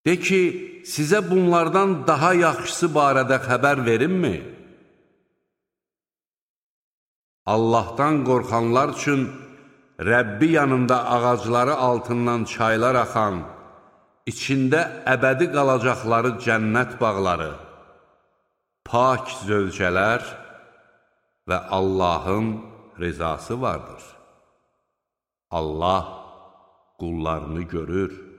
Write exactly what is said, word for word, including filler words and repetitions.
De ki, sizə bunlardan daha yaxşısı barədə xəbər verimmi? Allahdan qorxanlar üçün Rəbbi yanında ağacları altından çaylar axan, içində əbədi qalacaqları cənnət bağları, pak zövcələr və Allahın rizası vardır. Allah qullarını görür.